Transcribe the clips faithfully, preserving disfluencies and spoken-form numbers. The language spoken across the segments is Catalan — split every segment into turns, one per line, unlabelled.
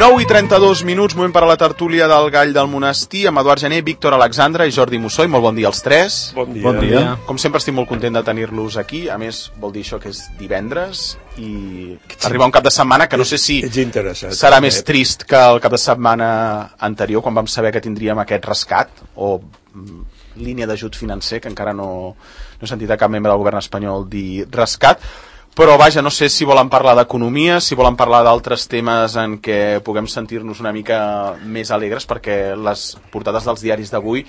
nou i trenta-dos minuts, moment per a la tertúlia del Gall del Monestir, amb Eduard Gené, Víctor Alexandra i Jordi Mussoi. Molt bon dia als tres.
Bon dia.
Bon dia. Com sempre estic molt content de tenir-los aquí. A més, vol dir això que és divendres i arriba un cap de setmana que no sé si serà més trist que el cap de setmana anterior, quan vam saber que tindríem aquest rescat o línia d'ajut financer, que encara no, no he sentit a cap membre del govern espanyol dir rescat. Però vaja, no sé si volen parlar d'economia, si volen parlar d'altres temes en què puguem sentir-nos una mica més alegres, perquè les portades dels diaris d'avui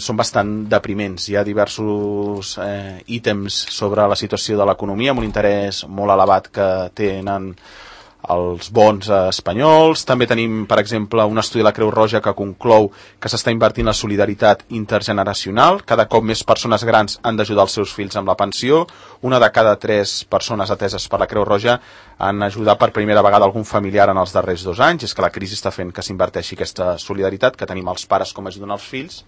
són bastant depriments. Hi ha diversos eh, ítems sobre la situació de l'economia, amb un interès molt elevat que tenen els bons espanyols. També tenim, per exemple, un estudi de la Creu Roja que conclou que s'està invertint la solidaritat intergeneracional. Cada cop més persones grans han d'ajudar els seus fills amb la pensió. Una de cada tres persones ateses per la Creu Roja han ajudat per primera vegada algun familiar en els darrers dos anys. És que la crisi està fent que s'inverteixi aquesta solidaritat, que tenim els pares com ajuden els fills,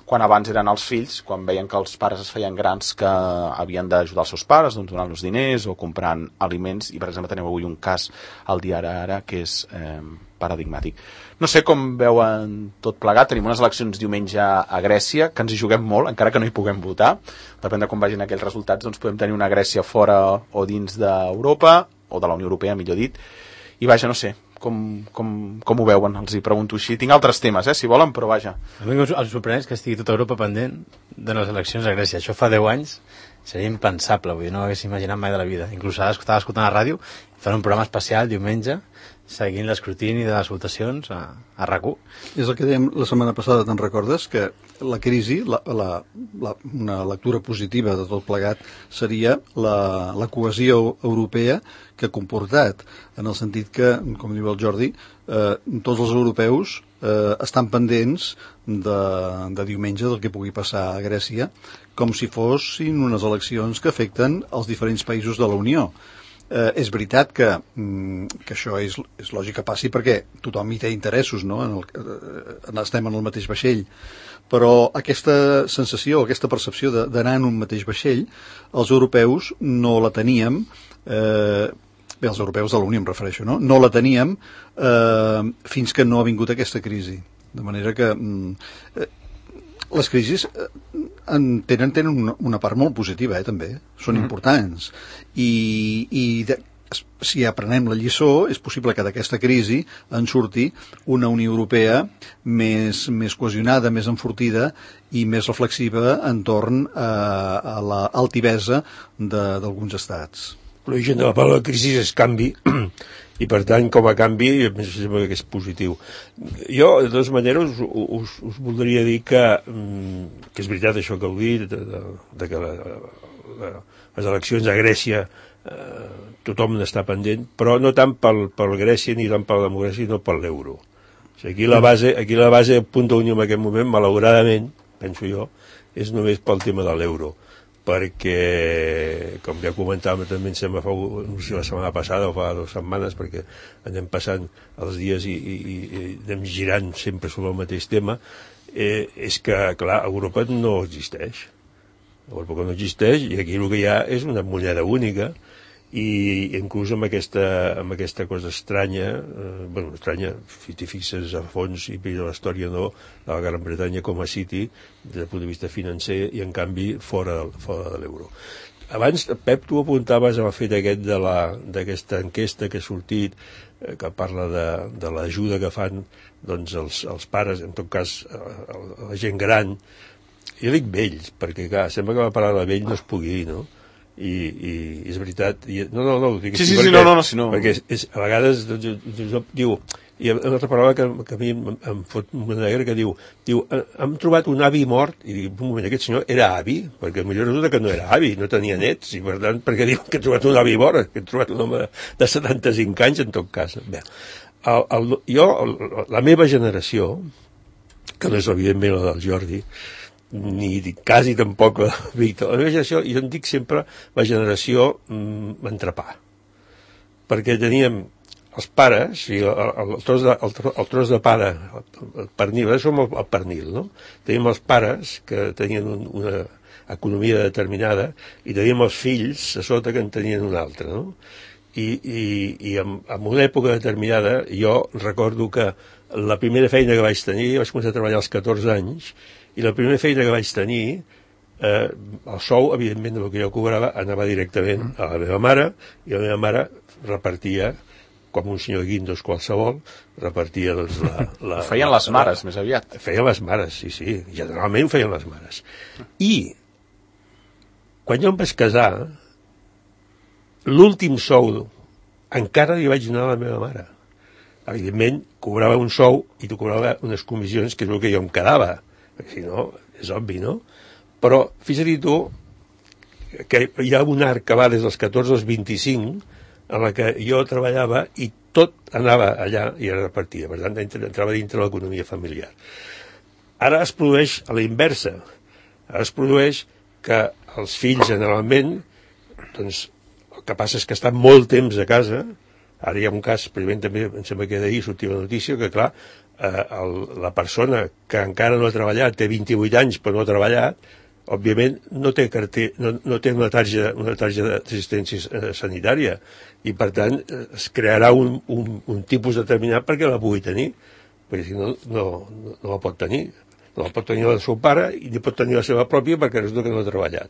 quan abans eren els fills, quan veien que els pares es feien grans, que havien d'ajudar els seus pares, doncs donant-los diners o comprant aliments. I, per exemple, tenim avui un cas al diari Ara que és eh, paradigmàtic. No sé com veuen tot plegat. Tenim unes eleccions diumenge a Grècia, que ens hi juguem molt, encara que no hi puguem votar. Depèn de com vagin aquells resultats, doncs podem tenir una Grècia fora o dins d'Europa, o de la Unió Europea, millor dit. I vaja, no sé, com, com, com ho veuen? Els hi pregunto així. Tinc altres temes, eh, si volen, però vaja.
A mi el sorprèn és que estigui tota Europa pendent de les eleccions a Grècia. Això fa deu anys seria impensable, vull dir, no ho hagués imaginat mai de la vida. Inclús ara estava escoltant la ràdio, fan un programa especial diumenge seguint l'escrutini de les votacions a, a RAC u.
És el que dèiem la setmana passada, te'n recordes? Que la crisi, la, la, la, una lectura positiva de tot plegat seria la, la cohesió europea que ha comportat, en el sentit que, com diu el Jordi, eh, tots els europeus eh, estan pendents de, de diumenge del que pugui passar a Grècia, com si fossin unes eleccions que afecten els diferents països de la Unió. Eh, és veritat que, que això és, és lògic que passi perquè tothom hi té interessos, no? En el, eh, estem en el mateix vaixell, però aquesta sensació, aquesta percepció d'anar en un mateix vaixell, els europeus no la teníem, eh, bé, els europeus de la Unió em refereixo, no? No la teníem eh, fins que no ha vingut aquesta crisi. De manera que eh, les crisis en tenen, tenen una, una part molt positiva, eh, també. Són mm-hmm. importants. I, i de, si aprenem la lliçó, és possible que d'aquesta crisi en surti una Unió Europea més, més cohesionada, més enfortida i més reflexiva entorn a, a l'altivesa d'alguns estats.
L'origen de la paraula crisi és canvi, i per tant, com a canvi, em sembla que és positiu. Jo, de totes maneres, us, us, us voldria dir que, que és veritat això que heu dit, de, de, de que la, la, les eleccions a Grècia eh, tothom n'està pendent, però no tant pel, pel Grècia ni tant per la democràcia, sinó per l'euro. O sigui, aquí la base, aquí la base del punt d'unió en aquest moment, malauradament, penso jo, és només pel tema de l'euro. Perquè, com ja comentàvem també, em sembla, fa la setmana passada o fa dues setmanes, perquè anem passant els dies i, i, i anem girant sempre sobre el mateix tema, eh, és que, clar, Europa no existeix. Europa no existeix i aquí el que hi ha és una moneda única i inclús amb aquesta, amb aquesta cosa estranya, eh, bueno, estranya, si t'hi fixes a fons i veus la història no, de la Gran Bretanya com a City, des del punt de vista financer, i en canvi fora, fora de l'euro. Abans, Pep, tu apuntaves al fet aquest de la, d'aquesta enquesta que ha sortit, eh, que parla de, de l'ajuda que fan doncs, els, els pares, en tot cas la gent gran. Jo dic vells, perquè clar, sembla que la paraula vell no es pugui dir, no? I, i és veritat i, no, no, no, dic
sí, sí,
perquè,
sí, no, no, no, si no.
perquè és, és, a vegades doncs, diu, i hi ha una altra paraula que, que a mi em, em fot una negra que diu, diu hem trobat un avi mort, i dic, un moment, aquest senyor era avi, perquè potser resulta que no era avi, no tenia nets, i per tant, perquè diu que he trobat un avi mort, que he trobat un home de setanta-cinc anys, en tot cas. Bé, el, el, jo, el, la meva generació, que no és evidentment la del Jordi, ni quasi tampoc la Víctor. La meva generació, jo en dic sempre la generació mm, entrepà. Perquè teníem els pares, i el, el, el, tros de, el, el tros de pare, el, el pernil, ara som el, el pernil, no? Teníem els pares que tenien un, una economia determinada i teníem els fills a sota que en tenien una altra, no? i, i, i en, en una època determinada jo recordo que la primera feina que vaig tenir, vaig començar a treballar als catorze anys, i la primera feina que vaig tenir, eh, el sou, evidentment, del que jo cobrava, anava directament a la meva mare, i la meva mare repartia, com un senyor Guindos qualsevol, repartia doncs, la, la...
Ho feien les mares, la, més aviat.
Feien les mares, sí, sí, generalment ho feien les mares. I, quan jo em vaig casar, l'últim sou encara li vaig donar a la meva mare. Evidentment, cobrava un sou i tu cobrava unes comissions, que és el que jo em quedava. Si no, és obvi, no? Però, fixa't tu, que hi ha un arc que va des dels catorze als vint-i-cinc, en la que jo treballava i tot anava allà i era repartida. Per tant, entrava dintre l'economia familiar. Ara es produeix a la inversa. Ara es produeix que els fills, generalment, doncs, el que passa és que estan molt temps a casa. Ara hi ha un cas, primer també em sembla que d'ahir sortia la notícia, que clar, eh, el, la persona que encara no ha treballat, té vint-i-vuit anys però no ha treballat, òbviament no té, carter, no, no té una tarja, una tarja d'assistència eh, sanitària i per tant es crearà un, un, un tipus determinat perquè la pugui tenir, perquè si no, no, no, no la pot tenir. No la pot tenir la del seu pare i ni pot tenir la seva pròpia perquè resulta que no ha treballat.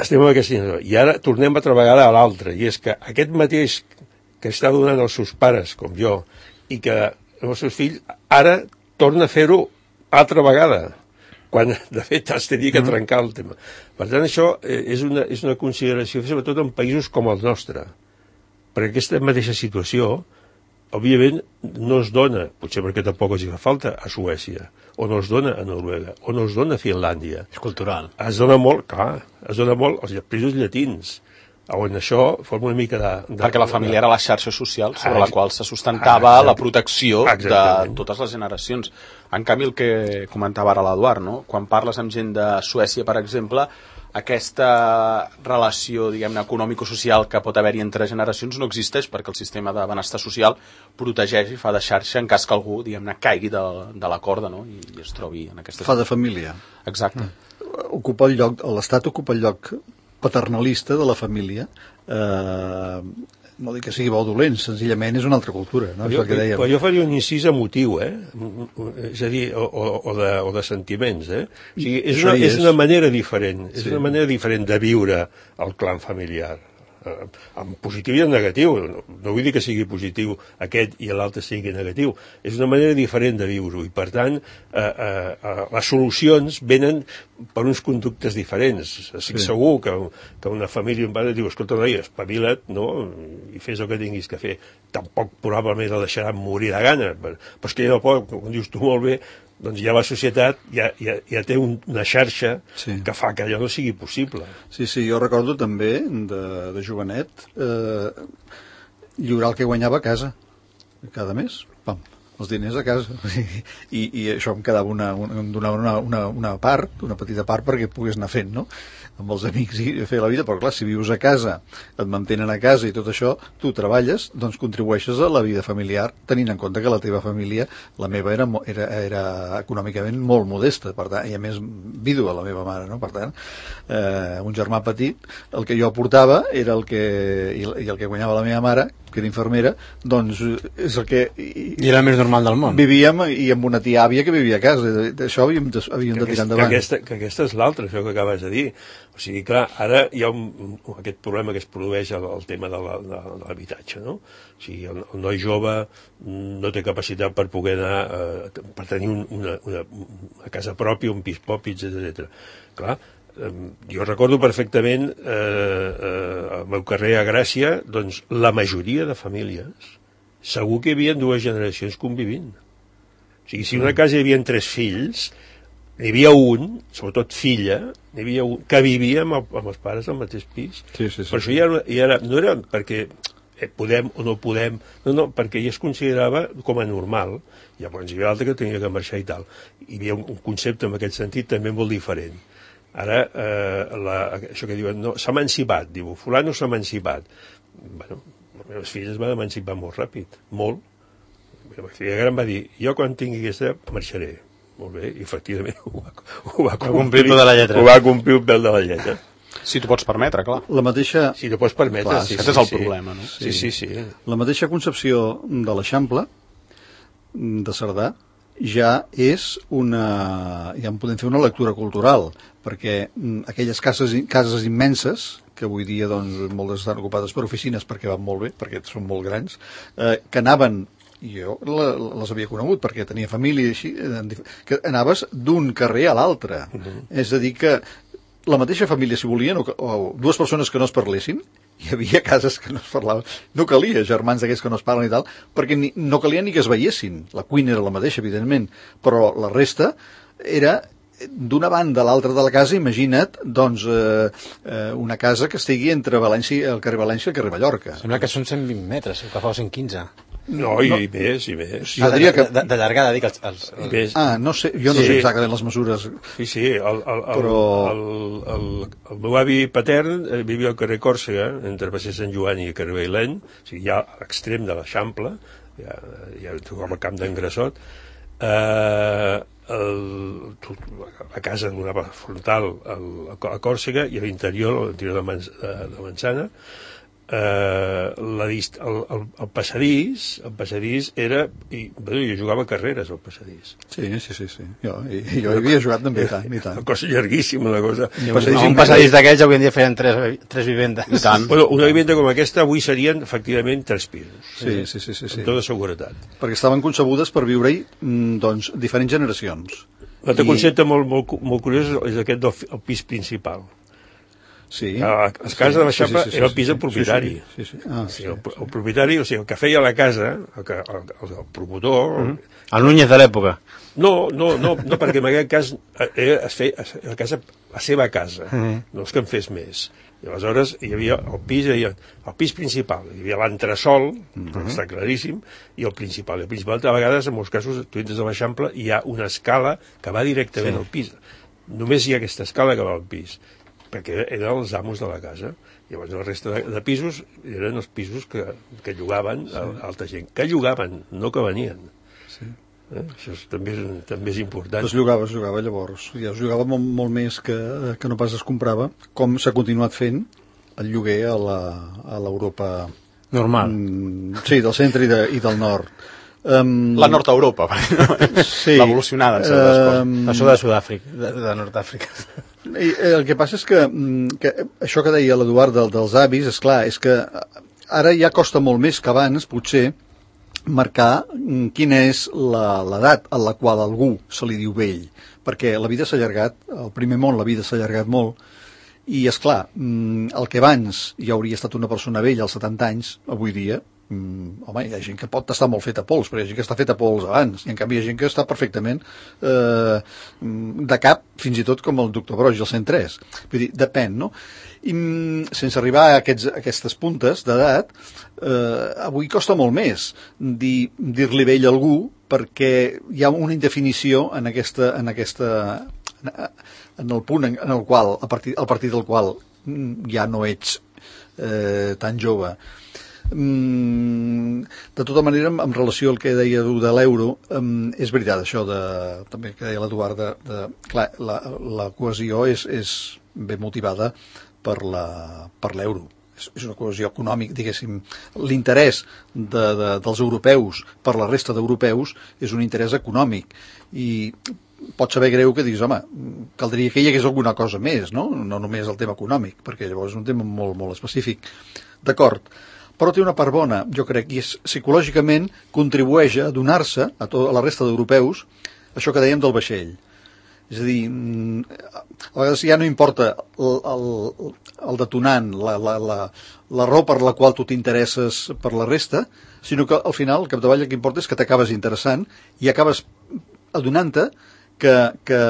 Estem en aquesta situació. I ara tornem a treballar a l'altre, i és que aquest mateix que està donant als seus pares, com jo, i que els seus fills, ara torna a fer-ho altra vegada, quan de fet has de dir que trencar el tema. Per tant, això és una, és una consideració, sobretot en països com el nostre, perquè aquesta mateixa situació, òbviament, no es dona, potser perquè tampoc els fa falta, a Suècia, o no es dona a Noruega, o no es dona a Finlàndia.
És cultural.
Es dona molt, clar, es dona molt als països llatins, on això forma una mica de... de
perquè la família era la xarxa social sobre ah, la qual se sustentava ah, la protecció exactament. De totes les generacions. En canvi, el que comentava ara l'Eduard, no? Quan parles amb gent de Suècia, per exemple, aquesta relació, diguem-ne, econòmico-social que pot haver-hi entre generacions no existeix perquè el sistema de benestar social protegeix i fa de xarxa en cas que algú, diguem-ne, caigui de, de la corda, no? I, i es trobi en aquesta...
Fa de família.
Exacte.
Ocupa el lloc, l'Estat ocupa el lloc paternalista de la família, eh, no dic que sigui bo o dolent, senzillament és una altra cultura, no?
Jo, que però jo faria un incís emotiu, eh? És a dir, o, o, de, o de sentiments, eh? O sigui, és, una, és una manera diferent, és sí. una manera diferent de viure el clan familiar, en positiu i en negatiu. No vull dir que sigui positiu aquest i l'altre sigui negatiu, és una manera diferent de viure-ho i per tant eh, eh, les solucions venen per uns conductes diferents. Estic sí. segur que, que una família un pare diu, escolta, noia, espavila't, no? I fes el que tinguis que fer. Tampoc probablement el deixaran morir de gana, però és que no pot, com dius tu molt bé, doncs ja la societat ja, ja, ja té un, una xarxa sí. que fa que allò no sigui possible.
Sí, sí, jo recordo també de, de jovenet eh, lliurar el que guanyava a casa cada mes, pam, els diners a casa i, i això em quedava una, una, em donava una, una, una part, una petita part perquè pogués anar fent, no? Amb els amics i fer la vida, però clar, si vius a casa, et mantenen a casa i tot això, tu treballes, doncs contribueixes a la vida familiar, tenint en compte que la teva família, la meva era, era, era econòmicament molt modesta, per tant, i a més vídua la meva mare, no? Per tant, eh, un germà petit, el que jo aportava era el que, i, i el que guanyava la meva mare, que era infermera, doncs és el que...
I, I era el més normal del món.
Vivíem, i amb una tia àvia que vivia a casa, d'això havíem de, havíem de tirar endavant.
Que aquesta, que aquesta és l'altra, això que acabes de dir. O sigui, clar, ara hi ha un, aquest problema que es produeix al, al tema de l'habitatge, no? O sigui, el, el noi jove no té capacitat per poder anar, eh, per tenir un, una, una, una casa pròpia, un pis propi, etcètera. Clar, eh, jo recordo perfectament eh, eh, el meu carrer a Gràcia, doncs la majoria de famílies segur que hi havia dues generacions convivint. O sigui, si en una casa hi havia tres fills, n'hi havia un, sobretot filla, n'hi havia un que vivia amb, el, amb els pares al mateix pis.
Sí, sí, sí.
Per això ja, ja era, no era perquè podem o no podem, no, no, perquè ja es considerava com a normal. Llavors hi havia l'altre que tenia que marxar i tal. Hi havia un, un concepte en aquest sentit també molt diferent. Ara, eh, la, això que diuen, no, s'ha emancipat, diu, fulano s'ha emancipat. Bueno, les meves filles es van emancipar molt ràpid, molt. La meva filla gran va dir, jo quan tingui aquesta marxaré. Molt bé, i efectivament ho va, ho va complir,
complir el peu de la lletra.
Ho va complir el peu de la lletra.
Si t'ho pots permetre, clar.
La mateixa...
Si t'ho pots permetre,
clar,
sí.
Aquest
sí,
és el
sí.
problema, no?
Sí, sí, sí.
La mateixa concepció de l'Eixample, de Cerdà, ja és una... ja en podem fer una lectura cultural, perquè aquelles cases, cases immenses, que avui dia doncs, moltes estan ocupades per oficines perquè van molt bé, perquè són molt grans, eh, que anaven, i jo les havia conegut perquè tenia família i així, que anaves d'un carrer a l'altre. Uh-huh. És a dir que la mateixa família, si volien, o, o dues persones que no es parlessin, hi havia cases que no es parlaven, no calia germans d'aquests que no es parlen i tal, perquè ni, no calia ni que es veiessin. La cuina era la mateixa, evidentment, però la resta era d'una banda a l'altra de la casa. Imagina't, doncs, eh, eh, una casa que estigui entre València, el carrer València i el carrer Mallorca.
Sembla que són cent vint metres, que fa cent quinze.
No, i no. més, i més.
Jo ah, diria que... De, de llargada, dic, els... els, els...
Ah, no sé, jo no sí. sé exactament les mesures.
Sí, sí, el, el,
però...
el, el, el, el meu avi patern vivia al carrer Còrsega, entre Passeig Sant Joan i carrer Baileny, o sigui, ja a l'extrem de l'Eixample, ja, ja trobem el camp d'en Grassot. Eh, el, la casa donava frontal al, a Còrsega i a l'interior, a l'interior de, Man, de, de Manzana, eh, la dist, el, el, el passadís el passadís era i, bé, jo jugava a carreres al passadís.
Sí, sí, sí, sí. Jo, i, jo hi havia jugat també i tant, i tant.
Una cosa llarguíssima, una cosa.
Un passadís, un passadís d'aquells avui en dia feien tres, tres vivendes.
I tant.
Bueno, una vivenda com aquesta avui serien efectivament tres pisos.
Sí, sí, sí, sí, sí.
Amb tota seguretat.
Perquè estaven concebudes per viure-hi, doncs, diferents generacions.
L'altre
I...
concepte molt, molt, molt curiós és aquest del el pis principal.
Sí.
A les cases sí, de l'Eixample sí, sí, sí, era el pis del propietari.
Sí, sí, sí. Ah,
sí. El, el propietari, o sigui, el que feia la casa, el, que, el, el, el promotor...
Mm -hmm. El Núñez de l'època.
No, no, no, no, perquè en aquest cas era, es feia la, casa, la seva casa, mm -hmm. no és que en fes més. I aleshores hi havia el pis, hi havia el pis principal, hi havia l'entresòl, mm -hmm. està claríssim, i el principal. I el principal, a vegades, en molts casos, tu entres a l'Eixample, hi ha una escala que va directament sí. al pis. Només hi ha aquesta escala que va al pis, perquè eren els amos de la casa. Llavors la resta de, de pisos eren els pisos que, que llogaven sí. a altra gent. Que llogaven, no que venien.
Sí.
Eh? Això és, també, és, també és important.
Es llogava, es llogava llavors. Ja es llogava molt, molt més que, que no pas es comprava, com s'ha continuat fent el lloguer a l'Europa...
Normal.
Mm, sí, del centre i, de, i del nord. Um,
la Nord-Europa,
sí,
l'evolucionada en certes coses.
Um, Això de Sud-àfrica, de, de Nord-Àfrica.
I, el que passa és que, que això que deia l'Eduard del, dels avis, és clar, és que ara ja costa molt més que abans, potser, marcar quina és l'edat a la qual algú se li diu vell, perquè la vida s'ha allargat, al primer món la vida s'ha allargat molt, i és clar, el que abans ja hauria estat una persona vella als setanta anys, avui dia, Mm, home, hi ha gent que pot estar molt feta a pols, però hi ha gent que està feta a pols abans, i en canvi hi ha gent que està perfectament eh, de cap, fins i tot com el doctor Broix, el cent tres. Vull dir, depèn, no? I sense arribar a, aquests, a aquestes puntes d'edat, eh, avui costa molt més dir, dir-li vell a algú, perquè hi ha una indefinició en aquesta, en aquesta en el punt en el qual, a partir, a partir del qual ja no ets eh, tan jove. Mm, de tota manera, en relació al que deia tu de l'euro, um, és veritat això de, també que deia l'Eduard de, de, clar, la, la cohesió és, és ben motivada per la, per l'euro, és, és una cohesió econòmica, diguéssim. L'interès de, de, dels europeus per la resta d'europeus és un interès econòmic, i pot saber greu que diguis, home, caldria que hi hagués alguna cosa més, no? No només el tema econòmic, perquè llavors és un tema molt, molt específic. D'acord, però té una part bona, jo crec, i és psicològicament contribueix a donar-se a, to, a la resta d'europeus això que dèiem del vaixell. És a dir, a vegades ja no importa el, el, el detonant, la, la, la, la raó per la qual tu t'interesses per la resta, sinó que al final, al capdavall, el que importa és que t'acabes interessant i acabes adonant-te que, que,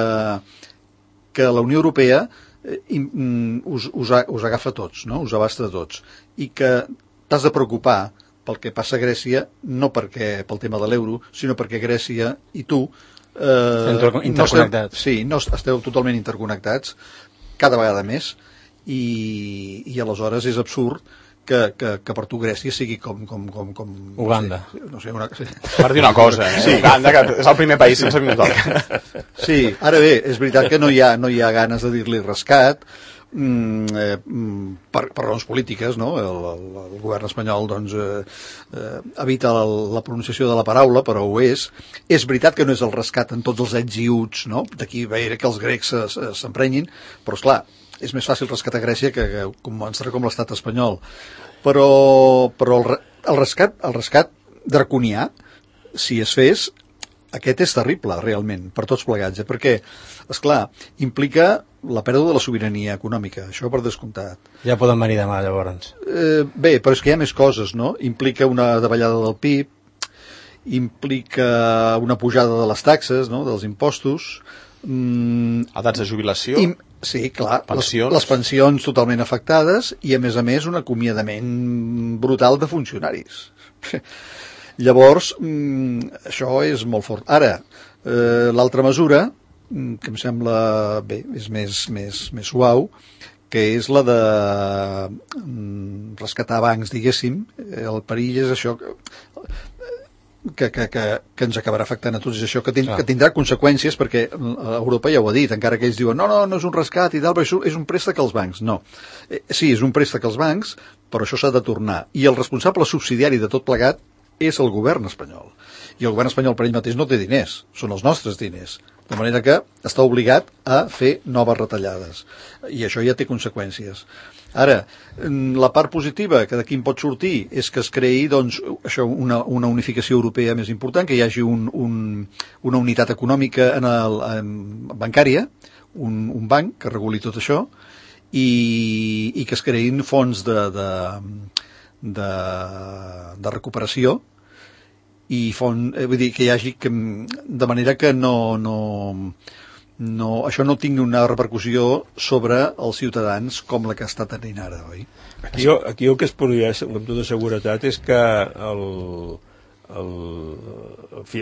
que la Unió Europea us, us, us agafa a tots, no? Us abasta a tots, i que t'has de preocupar pel que passa a Grècia, no perquè pel tema de l'euro, sinó perquè Grècia i tu eh,
interconnectats.
No esteu, sí, no esteu totalment interconnectats, cada vegada més, i, i aleshores és absurd que, que, que per tu Grècia sigui com... com, com, com
Uganda.
No sé, no sé una, sí.
Per dir una cosa, eh? Sí. Uganda, que és el primer país sense minutoca.
Sí, ara bé, és veritat que no hi ha, no hi ha ganes de dir-li rescat, mm, eh, per, per raons polítiques, no? El, el, el govern espanyol doncs, eh, eh, evita la, la pronunciació de la paraula, però ho és. És veritat que no és el rescat en tots els ets i uts, no? D'aquí veure que els grecs s'emprenyin, però esclar, és més fàcil rescatar Grècia que, que començar com l'estat espanyol. Però, però el, el rescat, el rescat draconià, si es fes, aquest és terrible, realment, per tots plegats, eh? Perquè, esclar, implica la pèrdua de la sobirania econòmica, això per descomptat.
Ja poden venir demà, llavors.
Eh, bé, però és que hi ha més coses, no? Implica una davallada del P I B, implica una pujada de les taxes, no?, dels impostos.
Mm, edats de jubilació.
I, sí, clar, pensions. Les, les pensions totalment afectades i, a més a més, un acomiadament brutal de funcionaris. Llavors, mm, això és molt fort. Ara, eh, l'altra mesura, que em sembla, bé, és més, més, més suau, que és la de mm, rescatar bancs, diguéssim. El perill és això que, que, que, que, que ens acabarà afectant a tots, és això que, ten, que tindrà conseqüències, perquè Europa ja ho ha dit, encara que ells diuen no, no, no és un rescat i tal, però és un préstec als bancs. No. Eh, sí, és un préstec als bancs, però això s'ha de tornar. I el responsable subsidiari de tot plegat és el govern espanyol. I el govern espanyol per ell mateix no té diners, són els nostres diners. De manera que està obligat a fer noves retallades. I això ja té conseqüències. Ara, la part positiva que d'aquí en pot sortir és que es creï doncs, això, una, una unificació europea més important, que hi hagi un, un, una unitat econòmica en el, en, bancària, un, un banc que reguli tot això, i, i que es creïn fons de, de, de, de recuperació, i font, eh, vull dir que hi hagi que, de manera que no, no, no, això no tingui una repercussió sobre els ciutadans com la que està tenint ara, oi?
Aquí, aquí el que es produeix amb tota seguretat és que el, el,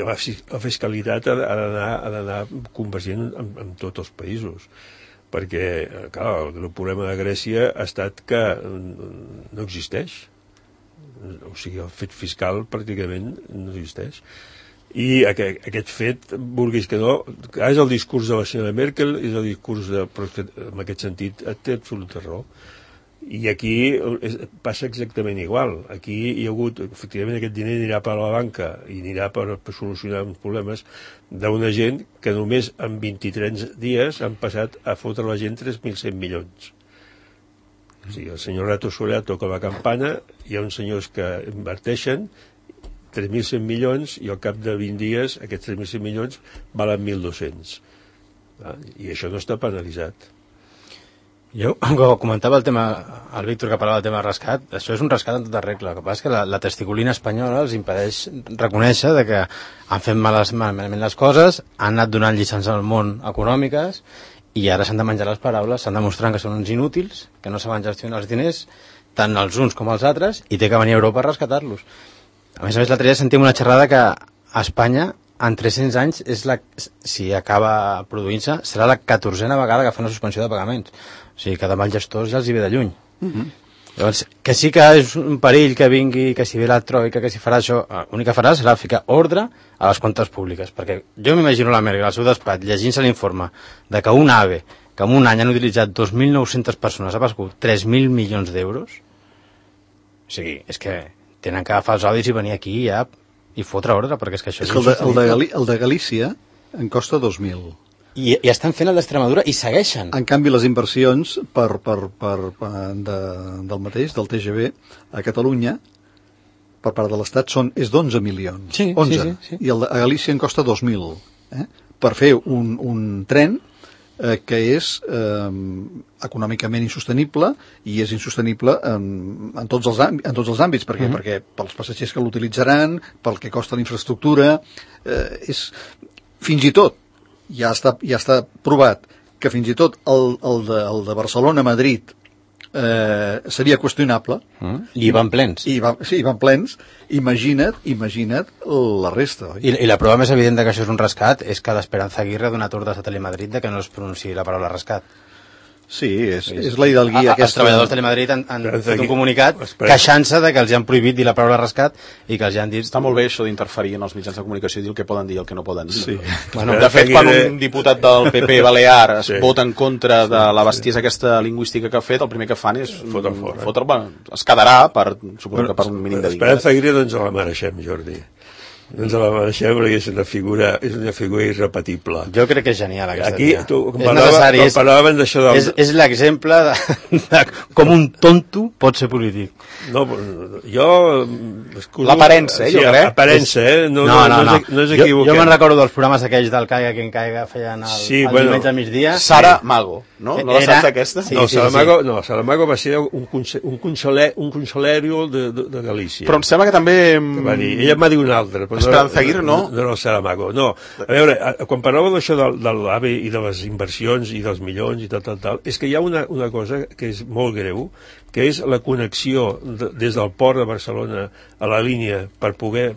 la fiscalitat ha d'anar, ha d'anar convergent en, en tots els països, perquè clar, el problema de Grècia ha estat que no existeix. O sigui, el fet fiscal pràcticament no existeix. I aquest, aquest fet, vulguis que no, és el discurs de la senyora Merkel, és el discurs de... però en aquest sentit té absoluta raó. I aquí és, passa exactament igual. Aquí hi ha hagut, efectivament, aquest diner anirà per a la banca i anirà per, per solucionar uns problemes d'una gent que només en vint-i-tres dies han passat a fotre a la gent tres mil cent milions. O sigui, el senyor Rato Soler toca la campana, hi ha uns senyors que inverteixen tres mil cent milions i al cap de vint dies aquests tres mil cent milions valen mil dos-cents. I això no està penalitzat.
Jo, com comentava el tema, el Víctor que parlava del tema del rescat, això és un rescat en tota regla. El que passa és que la, la testiculina espanyola els impedeix reconèixer de que han fet males, malament les coses, han anat donant lliçons al món econòmiques i ara s'han de menjar les paraules, s'han demostrant que són uns inútils, que no saben gestionar els diners, tant els uns com els altres, i té que venir a Europa a rescatar-los. A més a més, l'altre dia sentim una xerrada que a Espanya, en tres-cents anys, és la, si acaba produint-se, serà la catorzena vegada que fa una suspensió de pagaments. O sigui, que demà els gestors ja els hi ve de lluny. Mm-hmm. Llavors, que sí que és un perill que vingui, que si ve la troika, que si farà això, l'únic que farà serà ficar ordre a les comptes públiques, perquè jo m'imagino la Merkel al seu despatx llegint-se l'informe de que un AVE, que en un any han utilitzat dos mil nou-centes persones, ha passat tres mil milions d'euros. O sigui, és que tenen que agafar els audis i venir aquí ja i fotre ordre, perquè és que això és...
És que el de, el de, Gali, el de Galícia en costa dos mil.
I, i estan fent el d'Extremadura i segueixen.
En canvi, les inversions per, per, per, per de, del mateix, del T G V, a Catalunya, per part de l'Estat, són, és d'onze milions.
Sí,
onze.
Sí, sí, sí.
I el de, a Galícia en costa dos mil. Eh? Per fer un, un tren eh, que és eh, econòmicament insostenible i és insostenible en, en, tots, els àmbits, en tots els àmbits, perquè, mm-hmm. perquè pels passatgers que l'utilitzaran, pel que costa la infraestructura, eh, és fins i tot ja està, ja està provat que fins i tot el, el, de, el de Barcelona-Madrid eh, seria qüestionable.
Mm. I van plens.
I va, sí, van plens. Imagina't, imagina't la resta. Oi?
I, I la prova més evident que això és un rescat és que l'Esperanza Aguirre ha donat ordres a Telemadrid de que no es pronunciï la paraula rescat.
Sí, és, és la hidalguia aquesta.
Els treballadors de Telemadrid han, han fet un comunicat queixant-se de que els han prohibit dir la paraula rescat i que els han dit...
Està molt bé això d'interferir en els mitjans de comunicació i dir el que poden dir i el que no poden dir.
Sí.
Bueno, de fet, quan un diputat del P P balear es sí. vota en contra de la bestiesa aquesta lingüística que ha fet, el primer que fan és fotre fora. Fotre, bueno, es quedarà per, suposo que per un mínim de dignitat.
Esperanza Aguirre doncs la mereixem, Jordi. No ens la mereixem perquè és una figura, és una figura irrepetible.
Jo crec que és genial aquesta
Aquí,
tia.
Tu,
és necessari. És,
d'això del...
és, és l'exemple de, de com un tonto pot ser polític.
No, jo...
L'aparença, eh, jo crec.
L'aparença, eh? No,
no, no, no.
no és equivocat.
Jo, jo me'n recordo dels programes aquells del Caiga que en Caiga feien el, sí, el bueno, diumenge al migdia.
Sara Mago, no? No la saps aquesta?
Sí, no, sí, Saramago, sí. no, Saramago va ser un, un, consoler, un consolario de, de, de Galícia.
Però em sembla que també...
Que va dir, ella em va dir un altre.
Esperanza Aguirre, no?
No, no, Saramago, no. A veure, quan parlàveu d'això de, de l'A V E i de les inversions i dels milions i tal, tal, tal, és que hi ha una, una cosa que és molt greu, que és la connexió de, des del port de Barcelona a la línia per poder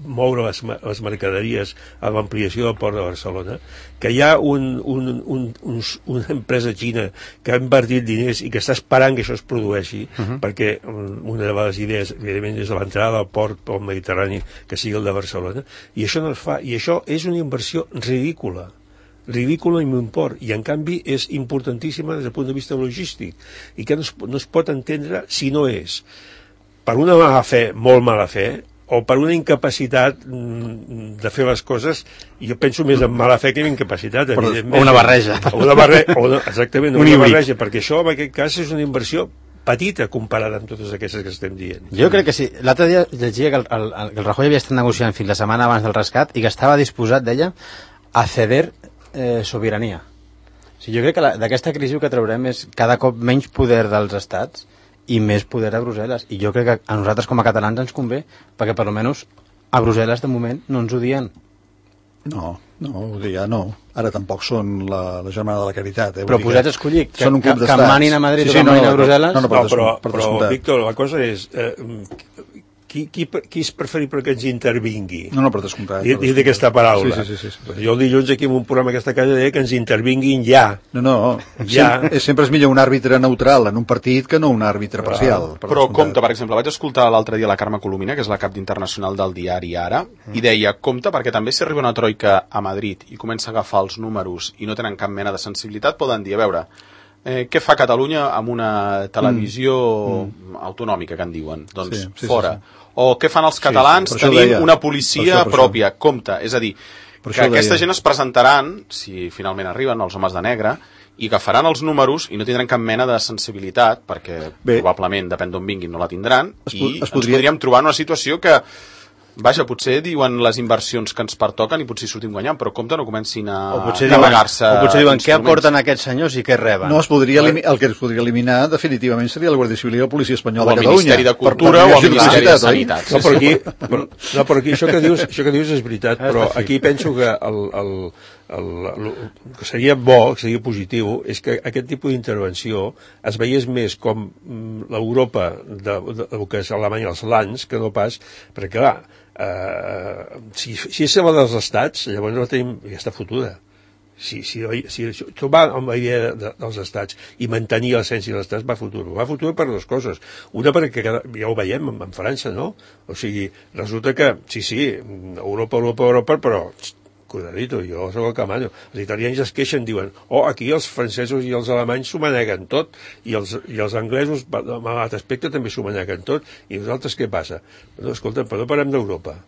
moure les, les mercaderies a l'ampliació del port de Barcelona, que hi ha un, un, un, un, una empresa xina que ha invertit diners i que està esperant que això es produeixi, uh-huh. perquè una de les idees, evidentment, és l'entrada al port pel Mediterrani, que sigui el de Barcelona, i això no es fa, i això és una inversió ridícula. ridícula i m'import, i en canvi és importantíssima des del punt de vista logístic i que no es, no es pot entendre si no és per una mala fe, molt mala fe, o per una incapacitat de fer les coses, i jo penso més en mala fe que en incapacitat,
evidentment. O una barreja.
O una barreja, o una, exactament, un una barreja, perquè això en aquest cas és una inversió petita comparada amb totes aquestes que estem dient.
Jo crec que sí. L'altre dia llegia que el, el, el Rajoy havia estat negociant fins la setmana abans del rescat i que estava disposat, deia, a ceder eh, sobirania. O sigui, jo crec que d'aquesta crisi que traurem és cada cop menys poder dels estats i més poder a Brussel·les. I jo crec que a nosaltres com a catalans ens convé, perquè per almenys a Brussel·les de moment no ens odien.
No, no, odia no. Ara tampoc són la, la germana de la caritat. Eh?
Però posats a escollir que,
que,
que, que manin a Madrid sí, sí, o que manin no, a Brussel·les...
No, no, però, però, però, però Víctor, la cosa és... Eh, Qui, qui, qui és preferible que ens intervingui?
No, no, per descomptat.
Dit aquesta paraula.
Sí, sí, sí, sí, sí.
Jo el dilluns aquí en un programa d'aquesta casa deia que ens intervinguin ja.
No, no, ja. Sempre, sempre és millor un àrbitre neutral en un partit que no un àrbitre ah, parcial. Per
però compte, per exemple, vaig escoltar l'altre dia la Carme Colomina, que és la cap d'internacional del diari Ara, mm. i deia, compte, perquè també si arriba una troika a Madrid i comença a agafar els números i no tenen cap mena de sensibilitat, poden dir, a veure, eh, què fa Catalunya amb una televisió mm. autonòmica, que en diuen? Doncs sí, sí, fora. Sí, sí. O què fan els catalans sí, sí. tenint una policia això, pròpia, això. Compte, és a dir, per que aquesta gent es presentaran, si finalment arriben els homes de negre, i agafaran els números i no tindran cap mena de sensibilitat, perquè Bé. probablement, depèn d'on vinguin, no la tindran, es i es podria... ens podríem trobar en una situació que, vaja, potser diuen les inversions que ens pertoquen i potser sortim guanyant, però compte no comencin a navegar-se.
O potser diuen què aporten aquests senyors i què reben.
No, es podria eliminar, el que es podria eliminar definitivament seria la Guàrdia Civil i la Policia Espanyola de Catalunya.
O el Ministeri de Cultura o el Ministeri de Sanitat.
No, però aquí, però, no, però aquí això, que dius, això que dius és veritat, però aquí penso que el, el, el, el, el que seria bo, que seria positiu, és que aquest tipus d'intervenció es veiés més com l'Europa de, de, de, que és Alemanya, els lands, que no pas, perquè clar, Uh, si, si és la dels estats, llavors no tenim, ja està fotuda. Si, si, si, si tu va amb la idea de, dels estats i mantenir l'essència dels estats, va futur. Va futur per dues coses. Una perquè ja ho veiem en, en França, no? O sigui, resulta que, sí, sí, Europa, Europa, Europa, però cuidadito, jo soc el que mano. Els italians es queixen, diuen, oh, aquí els francesos i els alemanys s'ho maneguen tot, i els, i els anglesos, a l'altre aspecte, també s'ho maneguen tot, i nosaltres què passa? No, escolta, però no parlem d'Europa.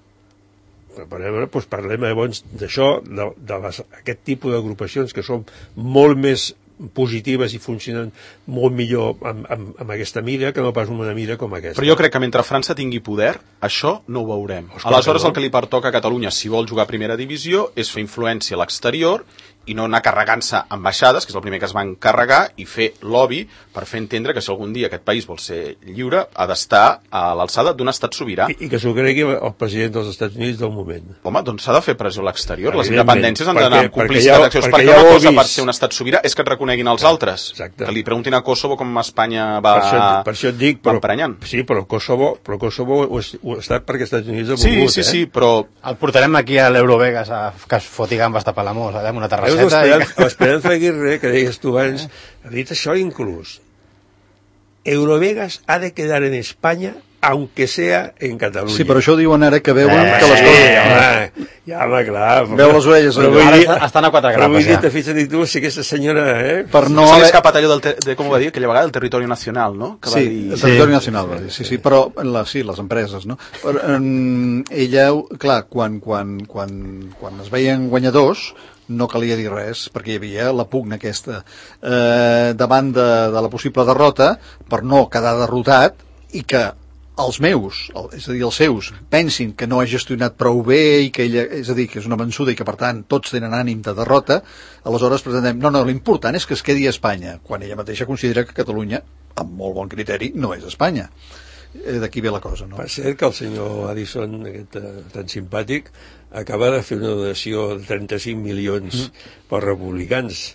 Parlem, doncs parlem llavors d'això, de, de les, aquest tipus d'agrupacions que són molt més positives i funcionen molt millor amb, amb, amb aquesta mira que no pas una mira com aquesta.
Però jo crec que mentre França tingui poder, això no ho veurem. Aleshores el que li pertoca a Catalunya, si vol jugar a primera divisió, és fer influència a l'exterior i no anar carregant-se ambaixades, que és el primer que es van carregar, i fer lobby per fer entendre que si algun dia aquest país vol ser lliure, ha d'estar a l'alçada d'un estat sobirà.
I, i que s'ho cregui el president dels Estats Units del moment.
Home, doncs s'ha de fer pressió a l'exterior. Les independències han d'anar complicitat d'accions, perquè, perquè una cosa per ser un estat sobirà és que et coneguin els altres.
Exacte.
Que li preguntin a Kosovo com Espanya va,
per això, per això et dic, però,
emprenyant.
Sí, però Kosovo, però Kosovo ho, ho ha estat perquè els Estats Units ha
sí,
volgut,
sí,
eh?
sí, però...
El portarem aquí a l'Eurovegas a que es foti gambes de Palamós, allà amb una terrasseta.
L'Esperanza Aguirre, que deies tu abans, ha dit això inclús. Eurovegas ha de quedar en Espanya aunque sea en Catalunya.
Sí, però això diuen ara que veuen
eh,
que les coses...
Sí, home, ja, home, clar.
Veu les orelles.
Però vull dir,
estan a quatre
grapes, però vull dir,
ja.
te fixa't tu, si aquesta senyora... Eh?
Per no... S'ha escapat allò del... Te... de, com ho va dir, aquella vegada, del territori nacional, no? Que
sí,
va dir...
el territori sí. nacional, va dir, sí, sí, però la, sí, les empreses, no? Però, um, ella, clar, quan, quan, quan, quan es veien guanyadors, no calia dir res, perquè hi havia la pugna aquesta eh, davant de, de la possible derrota, per no quedar derrotat, i que els meus, és a dir, els seus, pensin que no ha gestionat prou bé i que ella, és a dir, que és una vençuda i que, per tant, tots tenen ànim de derrota, aleshores presentem, no, no, l'important és que es quedi a Espanya, quan ella mateixa considera que Catalunya, amb molt bon criteri, no és Espanya. Eh, d'aquí ve la cosa, no?
Per cert que el senyor Addison, aquest uh, tan simpàtic, acaba de fer una donació de trenta-cinc milions mm. pels republicans.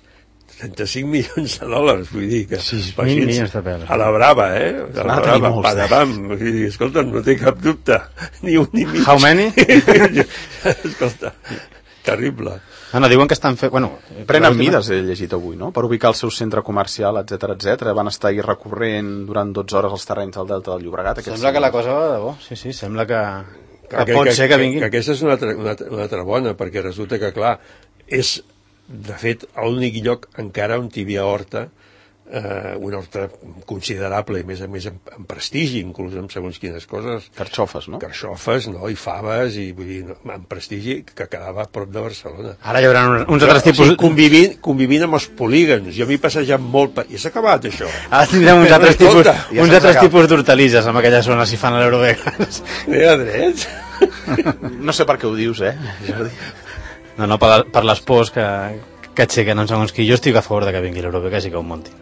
trenta-cinc milions de dòlars, vull dir que
sí, milions de peles.
A la brava, eh? A la brava, padabam. Vull dir, escolta, no té cap dubte. Ni un ni mig.
How many?
Escolta, terrible.
No, no, diuen que estan fent... Bueno,
prenen mides, he llegit avui, no? Per ubicar el seu centre comercial, etc etc. Van estar ahir recorrent durant dotze hores als terrenys del Delta del Llobregat.
Sembla que la cosa va de bo, sí, sí, sembla que, que, que pot
que,
ser que vinguin.
Que, que aquesta és una altra, una, una altra bona, perquè resulta que, clar, és, de fet, l'únic lloc encara on hi havia horta, eh, una horta considerable, i més a més en, en prestigi, inclús en segons quines coses.
Carxofes, no?
Carxofes, no? I faves, i vull dir, no, en prestigi, que quedava a prop de Barcelona.
Ara hi haurà uns, uns altres tipus...
O sigui, convivint, convivint amb els polígons. Jo m'he passejat molt... Pa... I s'ha acabat, això.
Ara tindrem uns altres tipus, ja uns altres tipus d'hortalisses en aquella zona, si fan a l'Eurovegas.
Bé, a drets.
No sé per què ho dius, eh, Jordi?
No, no, per, per les pors que, que aixequen en segons qui. Jo estic a favor de que vingui l'Eurovegas i que ho muntin.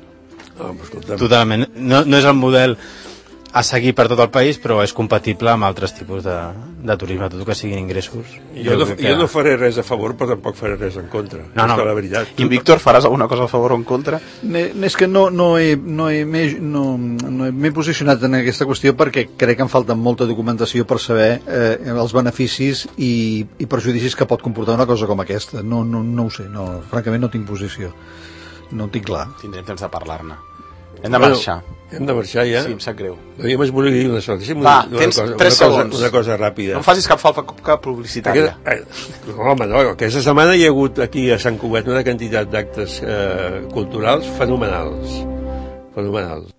No,
totalment, no, no és el model a seguir per tot el país, però és compatible amb altres tipus de, de turisme, tot que siguin ingressos.
Jo, jo, no, que... jo no faré res a favor, però tampoc faré res en contra.
No, no.
La veritat.
I Víctor, faràs alguna cosa a favor o en contra?
Ne, és que no, no he, no he, no, no m'he posicionat en aquesta qüestió perquè crec que em falta molta documentació per saber eh, els beneficis i, i perjudicis que pot comportar una cosa com aquesta. No, no, no ho sé, no, francament no tinc posició. No ho tinc clar.
Tindrem temps de parlar-ne. Hem de marxar.
Bueno, hem de marxar ja?
Sí, em sap greu.
Jo m'es volia dir una cosa.
Va, una tens
cosa,
tres
una
segons.
Cosa, una cosa ràpida.
No em facis cap falta cap publicitària.
Aquest, eh, home, no, aquesta setmana hi ha hagut aquí a Sant Cugat una quantitat d'actes eh, culturals fenomenals. Fenomenals.